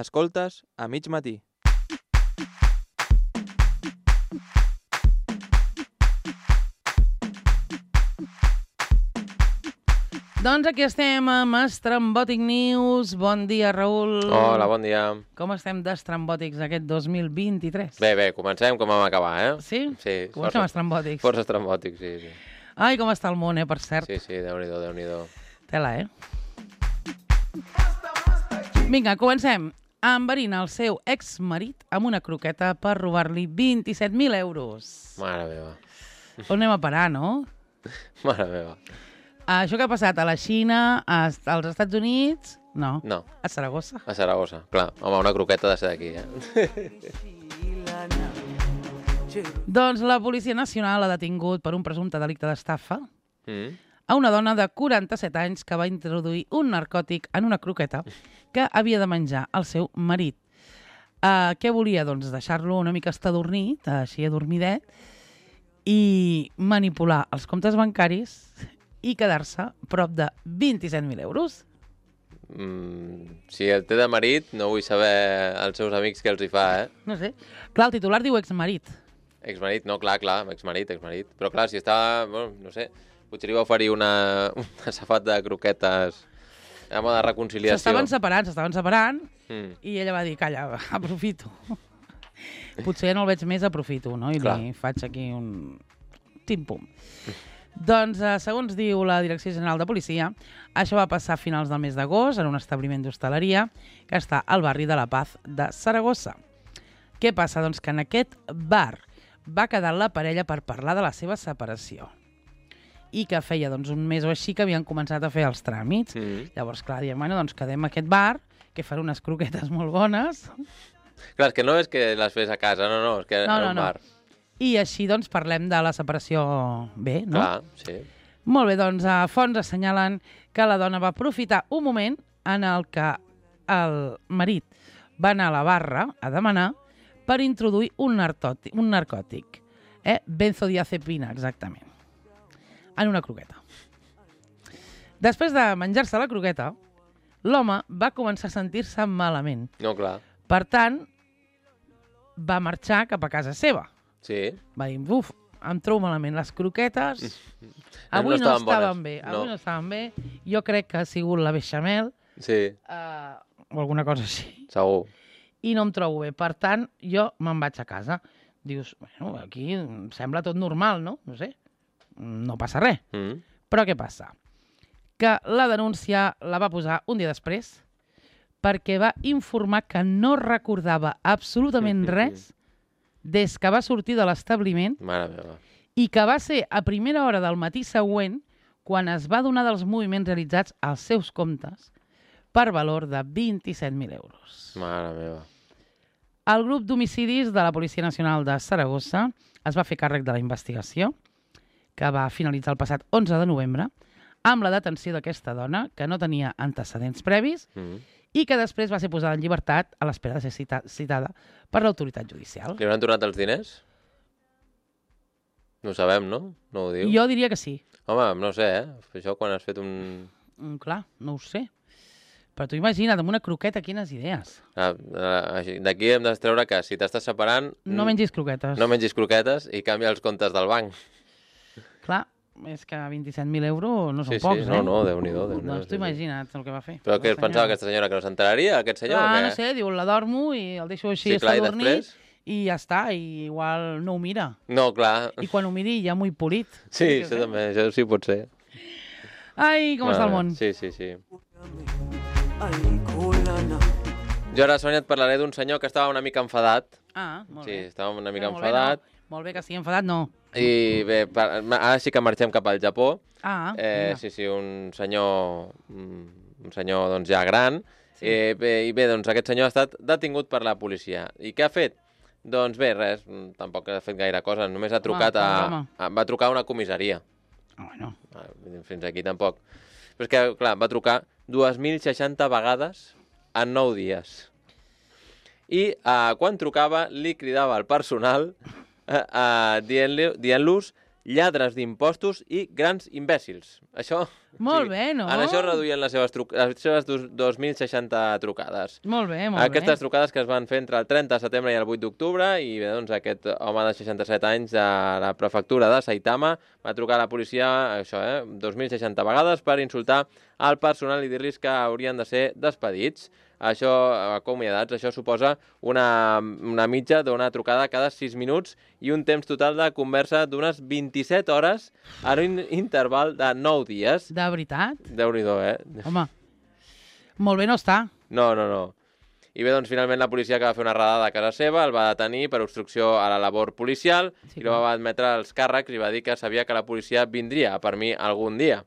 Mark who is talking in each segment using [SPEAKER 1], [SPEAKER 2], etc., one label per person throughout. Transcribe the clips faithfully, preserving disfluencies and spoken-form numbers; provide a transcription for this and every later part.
[SPEAKER 1] Escoltes a mig matí.
[SPEAKER 2] Doncs aquí estem amb Estrambòtic News. Bon dia, Raül.
[SPEAKER 3] Hola, bon dia.
[SPEAKER 2] Com estem d'estrambòtics aquest dos mil vint-i-tres?
[SPEAKER 3] Bé, bé, comencem com vam acabar, eh?
[SPEAKER 2] Sí?
[SPEAKER 3] Sí.
[SPEAKER 2] Comencem força, estrambòtics.
[SPEAKER 3] Força estrambòtics, sí, sí.
[SPEAKER 2] Ai, com està el món, eh, per cert.
[SPEAKER 3] Sí, sí, Déu-n'hi-do, Déu-n'hi-do.
[SPEAKER 2] Tela, eh? Vinga, comencem. Enverina el seu exmarit amb una croqueta per robar-li vint-i-set mil euros.
[SPEAKER 3] Mare meva.
[SPEAKER 2] On anem a parar, no?
[SPEAKER 3] Mare meva.
[SPEAKER 2] Això que ha passat a la Xina, als Estats Units... No.
[SPEAKER 3] No.
[SPEAKER 2] A Saragossa.
[SPEAKER 3] A Saragossa, clar. Home, una croqueta ha de ser d'aquí, eh?
[SPEAKER 2] Doncs la Policia Nacional ha detingut per un presumpte delicte d'estafa
[SPEAKER 3] Mm.
[SPEAKER 2] a una dona de quaranta-set anys que va introduir un narcòtic en una croqueta que havia de menjar el seu marit. Uh, què volia? Doncs deixar-lo una mica estadornit, així adormidet, i manipular els comptes bancaris i quedar-se prop de vint-i-set mil euros.
[SPEAKER 3] Mm, si el té de marit, no vull saber els seus amics què els hi fa, eh?
[SPEAKER 2] No sé. Clar, el titular diu exmarit.
[SPEAKER 3] Exmarit, no, clar, clar, exmarit, exmarit. Però clar, si està, bueno, no sé, potser li va oferir una, una safat de croquetes amb de reconciliació.
[SPEAKER 2] S'estaven separant, s'estaven separant,
[SPEAKER 3] Mm.
[SPEAKER 2] i ella va dir, calla, aprofito. Potser no el veig més, aprofito, no? I
[SPEAKER 3] Clar.
[SPEAKER 2] li faig aquí un tim-pum. Doncs, eh, segons diu la Direcció General de Policia, això va passar a finals del mes d'agost en un establiment d'hostaleria que està al barri de La Paz de Saragossa. Què passa? Doncs que en aquest bar va quedar la parella per parlar de la seva separació i que feia doncs, un mes o així que havien començat a fer els tràmits.
[SPEAKER 3] Mm.
[SPEAKER 2] Llavors, clar, diem, bueno, doncs quedem a aquest bar, que fan unes croquetes molt bones.
[SPEAKER 3] Clar, és que no és que les fes a casa, no, no, és que
[SPEAKER 2] No,
[SPEAKER 3] en
[SPEAKER 2] no,
[SPEAKER 3] un
[SPEAKER 2] no.
[SPEAKER 3] bar.
[SPEAKER 2] I així, doncs, parlem de la separació bé, no?
[SPEAKER 3] Clar, sí.
[SPEAKER 2] Molt bé, doncs, a fonts assenyalen que la dona va aprofitar un moment en el que el marit va anar a la barra a demanar per introduir un narcòtic, un narcòtic eh? benzodiazepina, exactament, en una croqueta. Després de menjar-se la croqueta, l'home va començar a sentir-se malament.
[SPEAKER 3] No, clar.
[SPEAKER 2] Per tant, va marxar cap a casa seva.
[SPEAKER 3] Sí.
[SPEAKER 2] Va dir, uf, em trobo malament, les croquetes
[SPEAKER 3] No
[SPEAKER 2] avui no
[SPEAKER 3] estaven
[SPEAKER 2] estaven
[SPEAKER 3] bones.
[SPEAKER 2] bé,
[SPEAKER 3] No.
[SPEAKER 2] avui no estaven bé. Jo crec que ha sigut la beixamel
[SPEAKER 3] Sí,
[SPEAKER 2] eh, o alguna cosa així.
[SPEAKER 3] segur.
[SPEAKER 2] I no em trobo bé. Per tant, jo me'n vaig a casa. Dius, bueno, aquí em sembla tot normal, no? No sé, no passa res.
[SPEAKER 3] Mm.
[SPEAKER 2] Però què passa? Que la denúncia la va posar un dia després perquè va informar que no recordava absolutament res des que va sortir de l'establiment
[SPEAKER 3] Mare meva.
[SPEAKER 2] i que va ser a primera hora del matí següent quan es va donar dels moviments realitzats als seus comptes per valor de vint-i-set mil euros.
[SPEAKER 3] Mare meva.
[SPEAKER 2] El grup d'homicidis de la Policia Nacional de Saragossa es va fer càrrec de la investigació, que va finalitzar el passat onze de novembre, amb la detenció d'aquesta dona, que no tenia antecedents previs,
[SPEAKER 3] Mm.
[SPEAKER 2] i que després va ser posada en llibertat a l'espera de ser cita citada per l'autoritat judicial.
[SPEAKER 3] Li hauran tornat els diners? No ho sabem, no? No ho diu?
[SPEAKER 2] Jo diria que sí.
[SPEAKER 3] Home, no sé, eh? Això quan has fet un...
[SPEAKER 2] Mm, clar, no ho sé. Però tu imagina't, amb una croqueta, quines idees.
[SPEAKER 3] Ah, ah, així- D'aquí hem de treure que si t'estàs separant...
[SPEAKER 2] No
[SPEAKER 3] mm,
[SPEAKER 2] mengis croquetes.
[SPEAKER 3] No mengis croquetes i canvia els comptes del banc.
[SPEAKER 2] Clar, és que vint-i-set mil euros no són
[SPEAKER 3] Sí, sí,
[SPEAKER 2] pocs,
[SPEAKER 3] no,
[SPEAKER 2] eh?
[SPEAKER 3] no, Déu-n'hi-do, Déu-n'hi-do,
[SPEAKER 2] Doncs
[SPEAKER 3] sí,
[SPEAKER 2] tu
[SPEAKER 3] sí.
[SPEAKER 2] imagina't el que va fer.
[SPEAKER 3] Però què
[SPEAKER 2] La
[SPEAKER 3] es pensava
[SPEAKER 2] senyora.
[SPEAKER 3] aquesta senyora, que no s'enteraria, aquest senyor?
[SPEAKER 2] Clar,
[SPEAKER 3] o què?
[SPEAKER 2] no sé, diu, la dormo i el deixo així
[SPEAKER 3] Sí, clar, i
[SPEAKER 2] estadornit
[SPEAKER 3] després?
[SPEAKER 2] i ja està, i igual no ho mira.
[SPEAKER 3] No, clar.
[SPEAKER 2] I quan ho miri ja m'ho he polit.
[SPEAKER 3] Sí, això també, això sí pot ser.
[SPEAKER 2] Ai, com està el
[SPEAKER 3] Mare,
[SPEAKER 2] món.
[SPEAKER 3] Sí, sí, sí. Jo ara, Sònia, et parlaré d'un senyor que estava una mica enfadat.
[SPEAKER 2] Ah, molt
[SPEAKER 3] Sí,
[SPEAKER 2] bé.
[SPEAKER 3] estava una mica
[SPEAKER 2] Molt bé,
[SPEAKER 3] enfadat.
[SPEAKER 2] no. Molt bé que estigui enfadat, no.
[SPEAKER 3] I bé, per, ara sí que marxem cap al Japó.
[SPEAKER 2] Ah,
[SPEAKER 3] Eh,
[SPEAKER 2] mira.
[SPEAKER 3] sí, sí, un senyor, mm, un senyor doncs, ja gran.
[SPEAKER 2] Sí.
[SPEAKER 3] Eh, bé, I bé, doncs aquest senyor ha estat detingut per la policia. I què ha fet? Doncs bé, res, mm, tampoc ha fet gaire cosa, només ha trucat a,
[SPEAKER 2] home.
[SPEAKER 3] a... Va trucar a una comissaria.
[SPEAKER 2] Ah, bueno.
[SPEAKER 3] Ah, Fins aquí tampoc. Però és que, clar, va trucar dos mil seixanta vegades en nou dies. I eh, quan trucava li cridava al personal eh, eh, dient-li- dient-los lladres d'impostos i grans imbècils. Això...
[SPEAKER 2] Molt bé, no?
[SPEAKER 3] En això reduïen les seves, truc les seves dos mil seixanta trucades.
[SPEAKER 2] Molt bé, molt
[SPEAKER 3] Aquestes
[SPEAKER 2] bé.
[SPEAKER 3] trucades que es van fer entre el trenta de setembre i el vuit d'octubre, i bé, doncs, aquest home de seixanta-set anys de la prefectura de Saitama va trucar a la policia, això, eh, dos mil seixanta vegades per insultar al personal i dir-los que haurien de ser despedits. Això, acomiadats, això suposa una, una mitja d'una trucada cada sis minuts i un temps total de conversa d'unes vint-i-set hores en un interval de nou dies.
[SPEAKER 2] De veritat?
[SPEAKER 3] Déu-n'hi-do, eh?
[SPEAKER 2] Home, molt bé no està.
[SPEAKER 3] No, no, no. I bé, doncs, finalment la policia que va fer una redada a casa seva el va detenir per obstrucció a la labor policial
[SPEAKER 2] Sí,
[SPEAKER 3] i el va admetre els càrrecs i va dir que sabia que la policia vindria per mi algun dia.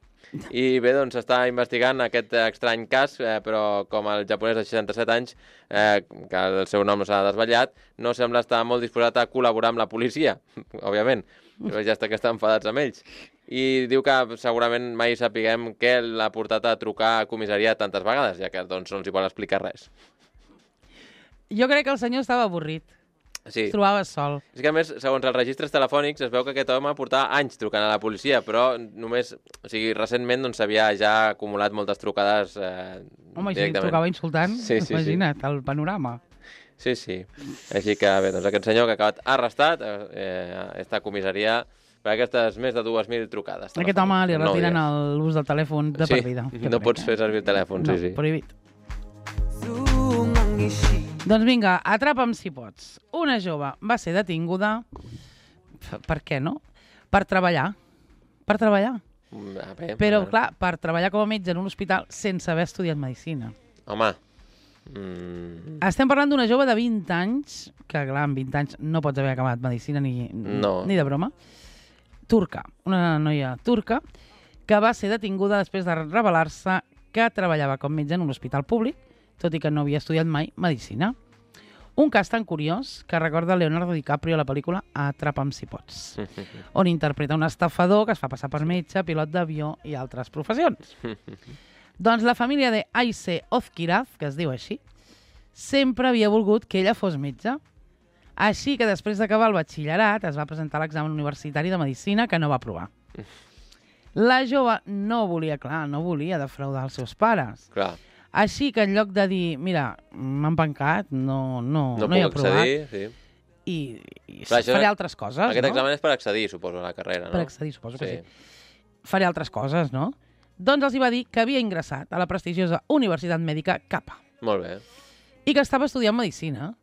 [SPEAKER 3] I bé, doncs està investigant aquest estrany cas, eh, però com el japonès de seixanta-set anys, eh, que el seu nom no s'ha desvetllat, no sembla estar molt disposat a col·laborar amb la policia, òbviament, però ja està que estan enfadats amb ells. I diu que segurament mai sapiguem què l'ha portat a trucar a comissaria tantes vegades, ja que doncs, no els hi vol explicar res.
[SPEAKER 2] Jo crec que el senyor estava avorrit.
[SPEAKER 3] Sí.
[SPEAKER 2] Es trobava sol.
[SPEAKER 3] És que, a més, segons els registres telefònics, es veu que aquest home portava anys trucant a la policia, però només, o sigui, recentment doncs, s'havia ja acumulat moltes trucades eh,
[SPEAKER 2] Home, si
[SPEAKER 3] directament.
[SPEAKER 2] trucava insultant,
[SPEAKER 3] Sí, sí,
[SPEAKER 2] imagina't, el panorama.
[SPEAKER 3] Sí, sí. Així que, bé, doncs aquest senyor que ha acabat arrestat eh, està a comissaria per aquestes més de dues mil trucades.
[SPEAKER 2] A aquest home li
[SPEAKER 3] No
[SPEAKER 2] retiren
[SPEAKER 3] dies.
[SPEAKER 2] l'ús del telèfon de
[SPEAKER 3] Sí,
[SPEAKER 2] per vida.
[SPEAKER 3] no pots fer servir el telèfon,
[SPEAKER 2] no,
[SPEAKER 3] sí, sí.
[SPEAKER 2] prohibit. Doncs vinga, atrapa'm si pots. Una jove va ser detinguda, per què no? Per treballar. Per treballar.
[SPEAKER 3] Mm, A bé,
[SPEAKER 2] Però,
[SPEAKER 3] a-
[SPEAKER 2] clar, per treballar com a metge en un hospital sense haver estudiat medicina.
[SPEAKER 3] Home, mm,
[SPEAKER 2] Estem parlant d'una jove de vint anys, que clar, amb vint anys no pots haver acabat medicina ni,
[SPEAKER 3] No.
[SPEAKER 2] ni de broma, turca, una noia turca, que va ser detinguda després de revelar-se que treballava com metge en un hospital públic, tot i que no havia estudiat mai medicina. Un cas tan curiós que recorda Leonardo DiCaprio a la pel·lícula Atrapa'm si pots, on interpreta un estafador que es fa passar per metge, pilot d'avió i altres professions. Doncs la família de Aise Ozkiraz, que es diu així, sempre havia volgut que ella fos metge. Així que després d'acabar el batxillerat es va presentar a l'examen universitari de medicina que no va aprovar. La jove no volia, clar, no volia defraudar els seus pares.
[SPEAKER 3] clar,
[SPEAKER 2] Així que en lloc de dir, mira, m'han pencat, no, no,
[SPEAKER 3] no,
[SPEAKER 2] no hi he
[SPEAKER 3] puc
[SPEAKER 2] aprovat,
[SPEAKER 3] accedir, sí.
[SPEAKER 2] i, i
[SPEAKER 3] Clar, això-
[SPEAKER 2] faré altres coses,
[SPEAKER 3] Aquest
[SPEAKER 2] no?
[SPEAKER 3] examen és per accedir, suposo, a la carrera, no?
[SPEAKER 2] Per accedir, suposo que
[SPEAKER 3] Sí.
[SPEAKER 2] sí. Faré altres coses, no? Doncs els hi va dir que havia ingressat a la prestigiosa Universitat Mèdica Capa
[SPEAKER 3] Molt bé.
[SPEAKER 2] i que estava estudiant medicina.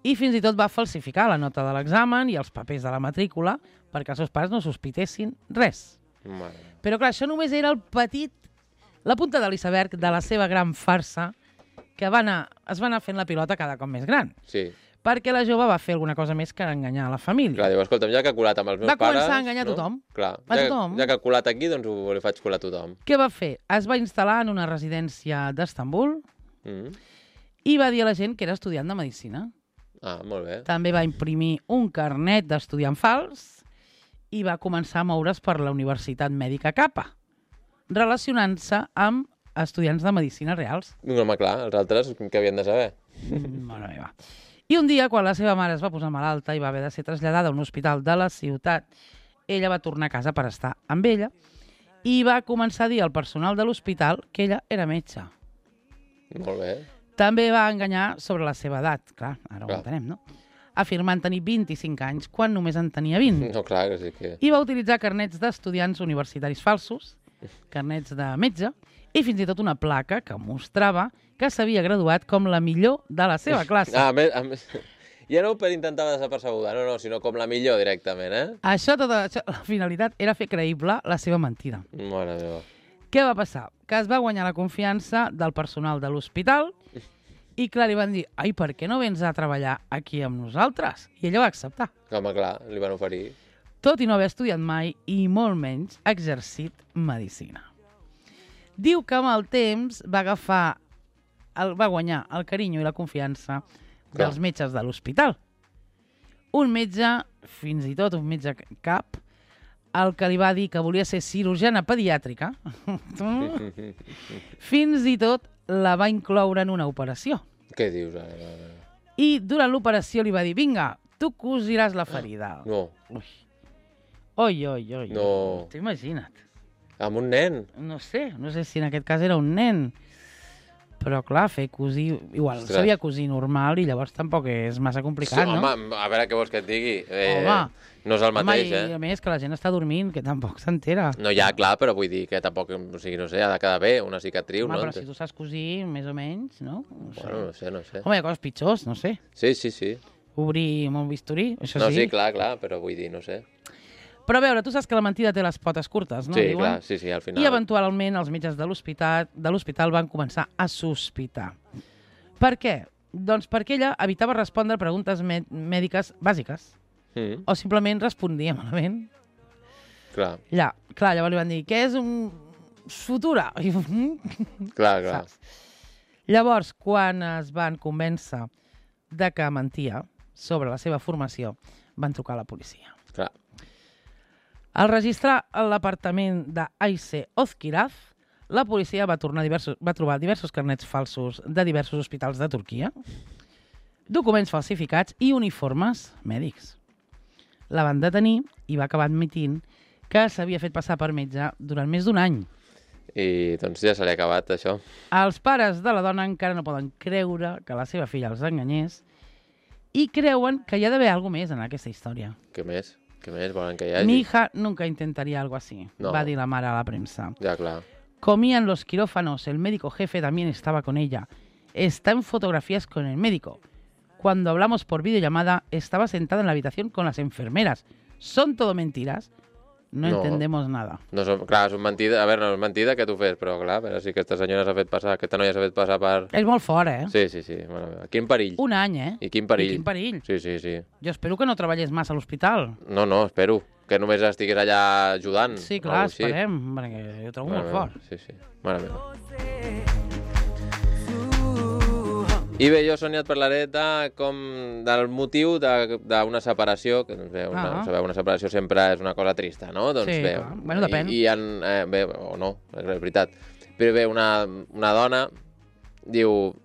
[SPEAKER 2] I fins i tot va falsificar la nota de l'examen i els papers de la matrícula perquè els seus pares no sospitessin res.
[SPEAKER 3] Mare.
[SPEAKER 2] Però clar, això només era el petit, la punta de l'iceberg de la seva gran farsa que va anar, es va anar fent la pilota cada cop més gran.
[SPEAKER 3] Sí.
[SPEAKER 2] Perquè la jove va fer alguna cosa més que enganyar a la família.
[SPEAKER 3] Clar, diu, escolta'm, ja que ha colat amb els meus
[SPEAKER 2] Va
[SPEAKER 3] pares...
[SPEAKER 2] començar a enganyar
[SPEAKER 3] no?
[SPEAKER 2] tothom.
[SPEAKER 3] Clar,
[SPEAKER 2] A
[SPEAKER 3] ja,
[SPEAKER 2] tothom.
[SPEAKER 3] ja que ha colat aquí, doncs ho li faig colar a tothom.
[SPEAKER 2] Què va fer? Es va instal·lar en una residència d'Estambul
[SPEAKER 3] Mm.
[SPEAKER 2] i va dir a la gent que era estudiant de medicina.
[SPEAKER 3] Ah, molt bé.
[SPEAKER 2] També va imprimir un carnet d'estudiant fals i va començar a moure's per la Universitat Mèdica Capa, relacionant-se amb estudiants de medicina reals.
[SPEAKER 3] No, home, clar, els altres què havien de saber?
[SPEAKER 2] Mm, Mare meva. I un dia, quan la seva mare es va posar malalta i va haver de ser traslladada a un hospital de la ciutat, ella va tornar a casa per estar amb ella i va començar a dir al personal de l'hospital que ella era metge.
[SPEAKER 3] Molt bé.
[SPEAKER 2] També va enganyar sobre la seva edat, clar, ara
[SPEAKER 3] Clar.
[SPEAKER 2] ho entenem, no? Afirmant tenir vint-i-cinc anys quan només en tenia vint.
[SPEAKER 3] No, clar, que sí que...
[SPEAKER 2] I va utilitzar carnets d'estudiants universitaris falsos, carnets de metge, i fins i tot una placa que mostrava que s'havia graduat com la millor de la seva classe.
[SPEAKER 3] Ah, a més, a més... Ja no per intentar desapercebuda, no, no, sinó com la millor directament, eh?
[SPEAKER 2] Això, tota, això, la finalitat era fer creïble la seva mentida.
[SPEAKER 3] Mare meva.
[SPEAKER 2] Què va passar? Que es va guanyar la confiança del personal de l'hospital i, clar, li van dir, ai, per què no vens a treballar aquí amb nosaltres? I ella va acceptar.
[SPEAKER 3] Home, clar, li van oferir.
[SPEAKER 2] Tot i no haver estudiat mai i molt menys exercit medicina. Diu que amb el temps va agafar, el, va guanyar el carinyo i la confiança
[SPEAKER 3] Clar.
[SPEAKER 2] dels metges de l'hospital. Un metge, fins i tot un metge cap, el que li va dir que volia ser cirurgiana pediàtrica, fins i tot la va incloure en una operació.
[SPEAKER 3] Què dius ara? ara?
[SPEAKER 2] I durant l'operació li va dir, vinga, tu cosiràs la ferida.
[SPEAKER 3] No.
[SPEAKER 2] Ui. Oi, oi, oi.
[SPEAKER 3] No.
[SPEAKER 2] T'ho imagina't.
[SPEAKER 3] Amb un nen?
[SPEAKER 2] No sé, no sé si en aquest cas era un nen. Però, clar, fer cosir... Igual,
[SPEAKER 3] Ostres.
[SPEAKER 2] sabia cosir normal i llavors tampoc és massa complicat,
[SPEAKER 3] Sí,
[SPEAKER 2] no?
[SPEAKER 3] home, a veure què vols que et digui. Eh,
[SPEAKER 2] Home.
[SPEAKER 3] No és el mateix,
[SPEAKER 2] home, i,
[SPEAKER 3] eh?
[SPEAKER 2] a més, que la gent està dormint, que tampoc s'entera.
[SPEAKER 3] No, ja, clar, però vull dir que tampoc, o sigui, no sé, ha de quedar bé, una cicatriu,
[SPEAKER 2] Home,
[SPEAKER 3] no?
[SPEAKER 2] però si tu saps cosir, més o menys, no? No sé.
[SPEAKER 3] Bueno, no sé, no sé.
[SPEAKER 2] Home, hi ha coses pitjors, no sé.
[SPEAKER 3] Sí, sí, sí.
[SPEAKER 2] Obrir amb un bisturí, això
[SPEAKER 3] No,
[SPEAKER 2] sí.
[SPEAKER 3] sí, clar, clar, però vull dir, no sé.
[SPEAKER 2] Però a veure, tu saps que la mentida té les potes curtes, no?
[SPEAKER 3] Sí,
[SPEAKER 2] Diuen?
[SPEAKER 3] clar, sí, sí, al final.
[SPEAKER 2] I eventualment els metges de l'hospital de l'hospital van començar a sospitar. Per què? Doncs perquè ella evitava respondre preguntes mèdiques bàsiques
[SPEAKER 3] Mm,
[SPEAKER 2] o simplement respondia malament.
[SPEAKER 3] clar,
[SPEAKER 2] Ja, clar, llavors li van dir, què és un sutura? I,
[SPEAKER 3] clar, clar.
[SPEAKER 2] saps? Llavors, quan es van convèncer de que mentia sobre la seva formació, van trucar a la policia.
[SPEAKER 3] clar.
[SPEAKER 2] Al registrar l'apartament d'Aise Ozkiraz, la policia va, tornar diversos, va trobar diversos carnets falsos de diversos hospitals de Turquia, documents falsificats i uniformes mèdics. La van detenir i va acabar admitint que s'havia fet passar per metge durant més d'un any.
[SPEAKER 3] I doncs ja se li ha acabat, això.
[SPEAKER 2] Els pares de la dona encara no poden creure que la seva filla els enganyés i creuen que hi ha d'haver alguna més en aquesta història.
[SPEAKER 3] Què més? Què més volen que hi hagi?
[SPEAKER 2] Mi hija nunca intentaría algo así,
[SPEAKER 3] No.
[SPEAKER 2] va dir la mare a la premsa.
[SPEAKER 3] Ja, clar.
[SPEAKER 2] Comían los quirófanos, el médico jefe también estaba con ella. Está en fotografías con el médico. Cuando hablamos por videollamada, estaba sentada en la habitación con las enfermeras. ¿Son todo mentiras? No,
[SPEAKER 3] No.
[SPEAKER 2] entendemos nada.
[SPEAKER 3] No són, clar, són mentida. A veure, no és mentida que tu fes, però clar, a veure si aquesta senyora s'ha fet passar, aquesta noia s'ha fet passar per...
[SPEAKER 2] És molt fort, eh?
[SPEAKER 3] Sí, sí, sí. Mare meva. Quin perill.
[SPEAKER 2] Un any, eh?
[SPEAKER 3] I quin perill.
[SPEAKER 2] I quin perill.
[SPEAKER 3] Sí, sí, sí.
[SPEAKER 2] Jo espero que no treballés massa a l'hospital.
[SPEAKER 3] No, no, espero. Que només estigués allà ajudant.
[SPEAKER 2] Sí,
[SPEAKER 3] o
[SPEAKER 2] clar,
[SPEAKER 3] alguna cosa així.
[SPEAKER 2] esperem, perquè ho trobo
[SPEAKER 3] Mare
[SPEAKER 2] molt
[SPEAKER 3] meva.
[SPEAKER 2] fort.
[SPEAKER 3] Sí, sí. Mare meva. I bé, jo, Sònia, et parlaré de com, del motiu d'una separació, que doncs, bé, una,
[SPEAKER 2] Ah.
[SPEAKER 3] sabeu, una separació sempre és una cosa trista, no? Doncs
[SPEAKER 2] Sí,
[SPEAKER 3] bé,
[SPEAKER 2] clar. Bueno, depèn.
[SPEAKER 3] I, i en, eh, bé, o no, és veritat. Però bé, una, una dona diu,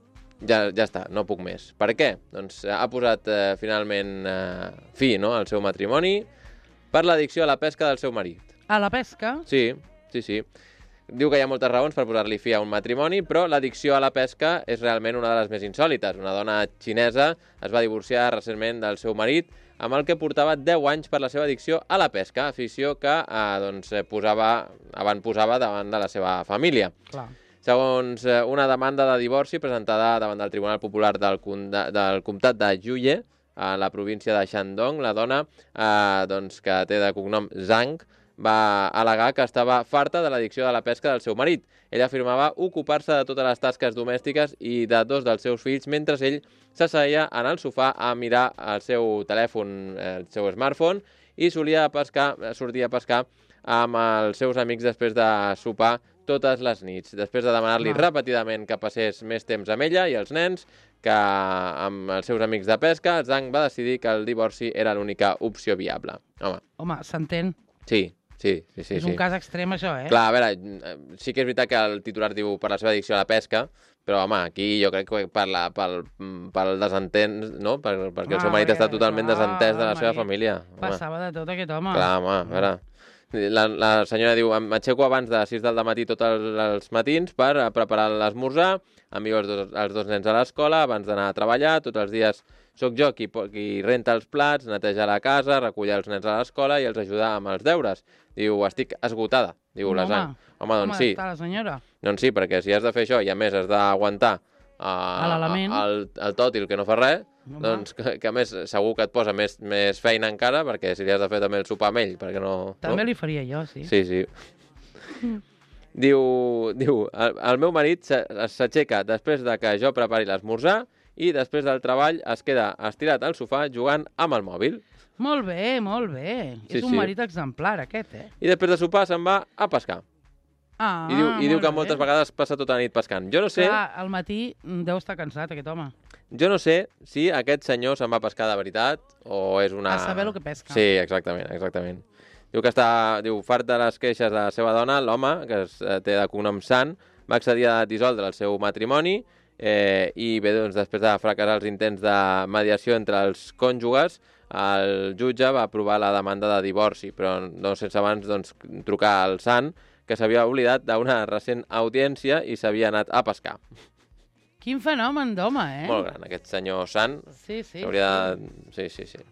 [SPEAKER 3] ja, ja està, no puc més. Per què? Doncs ha posat eh, finalment eh, fi, no?, al seu matrimoni per l'addicció a la pesca del seu marit.
[SPEAKER 2] A la pesca,
[SPEAKER 3] Sí, sí, sí. Diu que hi ha moltes raons per posar-li fi a un matrimoni, però l'addicció a la pesca és realment una de les més insòlites. Una dona xinesa es va divorciar recentment del seu marit, amb el que portava deu anys per la seva addicció a la pesca, afició que eh, doncs, posava, abans posava davant de la seva família.
[SPEAKER 2] clar.
[SPEAKER 3] Segons eh, una demanda de divorci presentada davant del Tribunal Popular del, Conda, del Comtat de Juye, a la província de Shandong, la dona, eh, doncs, que té de cognom Zhang, va al·legar que estava farta de l'addicció de la pesca del seu marit. Ella afirmava ocupar-se de totes les tasques domèstiques i de dos dels seus fills mentre ell s'asseia en el sofà a mirar el seu telèfon, el seu smartphone, i solia pescar, sortia a pescar amb els seus amics després de sopar totes les nits. Després de demanar-li
[SPEAKER 2] Ah.
[SPEAKER 3] repetidament que passés més temps amb ella i els nens, que amb els seus amics de pesca, Zhang va decidir que el divorci era l'única opció viable. Home,
[SPEAKER 2] Home, s'entén.
[SPEAKER 3] sí, sí, sí, sí.
[SPEAKER 2] És
[SPEAKER 3] sí.
[SPEAKER 2] un cas extrem, això, eh?
[SPEAKER 3] Clar, a veure, sí que és veritat que el titular diu per la seva addicció a la pesca, però, home, aquí jo crec que per la, pel, pel desentens, no? Per, perquè el seu
[SPEAKER 2] Ah,
[SPEAKER 3] marit està
[SPEAKER 2] perquè,
[SPEAKER 3] totalment
[SPEAKER 2] clar,
[SPEAKER 3] desentès de la
[SPEAKER 2] el
[SPEAKER 3] seva
[SPEAKER 2] marit
[SPEAKER 3] família. Home.
[SPEAKER 2] Passava de tot aquest home.
[SPEAKER 3] Clar, home, a veure... La, la senyora diu, m'aixeco abans de sis del matí tots els, els matins per a preparar l'esmorzar, envio els dos, els dos nens a l'escola abans d'anar a treballar, tots els dies sóc jo qui, qui renta els plats, neteja la casa, recull els nens a l'escola i els ajuda amb els deures. Diu, estic esgotada, diu la Zhang. Home, doncs sí.
[SPEAKER 2] Com està la senyora?
[SPEAKER 3] Doncs sí, perquè si has de fer això i a més has d'aguantar
[SPEAKER 2] A
[SPEAKER 3] uh,
[SPEAKER 2] l'element.
[SPEAKER 3] el, el tòtil que no fa res,
[SPEAKER 2] Home.
[SPEAKER 3] doncs que, que a més segur que et posa més, més feina encara, perquè si li has de fer també el sopar amb ell, perquè no...
[SPEAKER 2] També
[SPEAKER 3] no?
[SPEAKER 2] li faria jo, sí.
[SPEAKER 3] Sí, sí. Diu, diu el, el meu marit se- s'aixeca després de que jo prepari l'esmorzar i després del treball es queda estirat al sofà jugant amb el mòbil.
[SPEAKER 2] Molt bé, molt bé.
[SPEAKER 3] Sí,
[SPEAKER 2] És un
[SPEAKER 3] sí.
[SPEAKER 2] marit exemplar, aquest, eh?
[SPEAKER 3] I després de sopar se'n va a pescar.
[SPEAKER 2] Ah,
[SPEAKER 3] I diu, i diu
[SPEAKER 2] molt
[SPEAKER 3] que moltes
[SPEAKER 2] bé.
[SPEAKER 3] vegades passa tota la nit pescant. Jo no sé,
[SPEAKER 2] Clar, al matí mm, deu estar cansat, aquest home.
[SPEAKER 3] jo no sé si aquest senyor se'n va a pescar de veritat o és una...
[SPEAKER 2] A saber lo que pesca.
[SPEAKER 3] Sí, exactament, exactament. Diu que està, diu, fart de les queixes de la seva dona, l'home, que es, eh, té de cognom Sant, va accedir a dissoldre el seu matrimoni eh, i bé, doncs, després de fracassar els intents de mediació entre els cònjuges, el jutge va aprovar la demanda de divorci, però no sense abans doncs, trucar al Sant, que s'havia oblidat d'una recent audiència i s'havia anat a pescar.
[SPEAKER 2] Quin fenomen d'home, eh?
[SPEAKER 3] Molt gran, aquest senyor Sant.
[SPEAKER 2] Sí, sí.
[SPEAKER 3] Hauria de... Sí, sí, sí.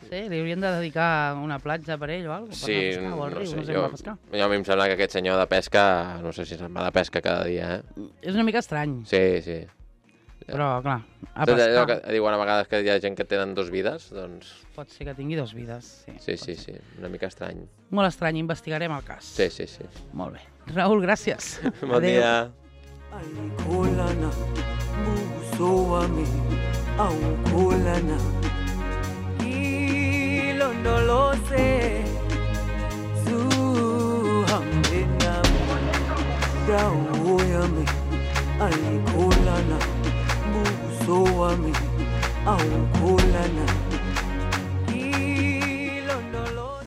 [SPEAKER 2] Sí, li haurien de dedicar una platja per ell o alguna cosa.
[SPEAKER 3] Sí,
[SPEAKER 2] pescar, o al
[SPEAKER 3] no
[SPEAKER 2] riu,
[SPEAKER 3] sé,
[SPEAKER 2] no sé
[SPEAKER 3] jo,
[SPEAKER 2] com va pescar.
[SPEAKER 3] jo a mi em sembla que aquest senyor de pesca, no sé si se'n va de pesca cada dia, eh?
[SPEAKER 2] És una mica estrany,
[SPEAKER 3] Sí, sí.
[SPEAKER 2] però clar, a
[SPEAKER 3] Tot allò
[SPEAKER 2] pescar
[SPEAKER 3] que diuen a vegades que hi ha gent que tenen dos vides, doncs
[SPEAKER 2] pot ser que tingui dos vides. Sí,
[SPEAKER 3] sí,
[SPEAKER 2] pot
[SPEAKER 3] sí,
[SPEAKER 2] ser.
[SPEAKER 3] sí, una mica estrany.
[SPEAKER 2] Molt estrany, investigarem el cas.
[SPEAKER 3] Sí, sí, sí.
[SPEAKER 2] Molt bé. Raül, gràcies.
[SPEAKER 3] Bon
[SPEAKER 2] Adéu.
[SPEAKER 3] dia.
[SPEAKER 4] Alikulana buso wami aukulana ilondoloze zuhambe nami dawo yami alikulana buso wami aukulana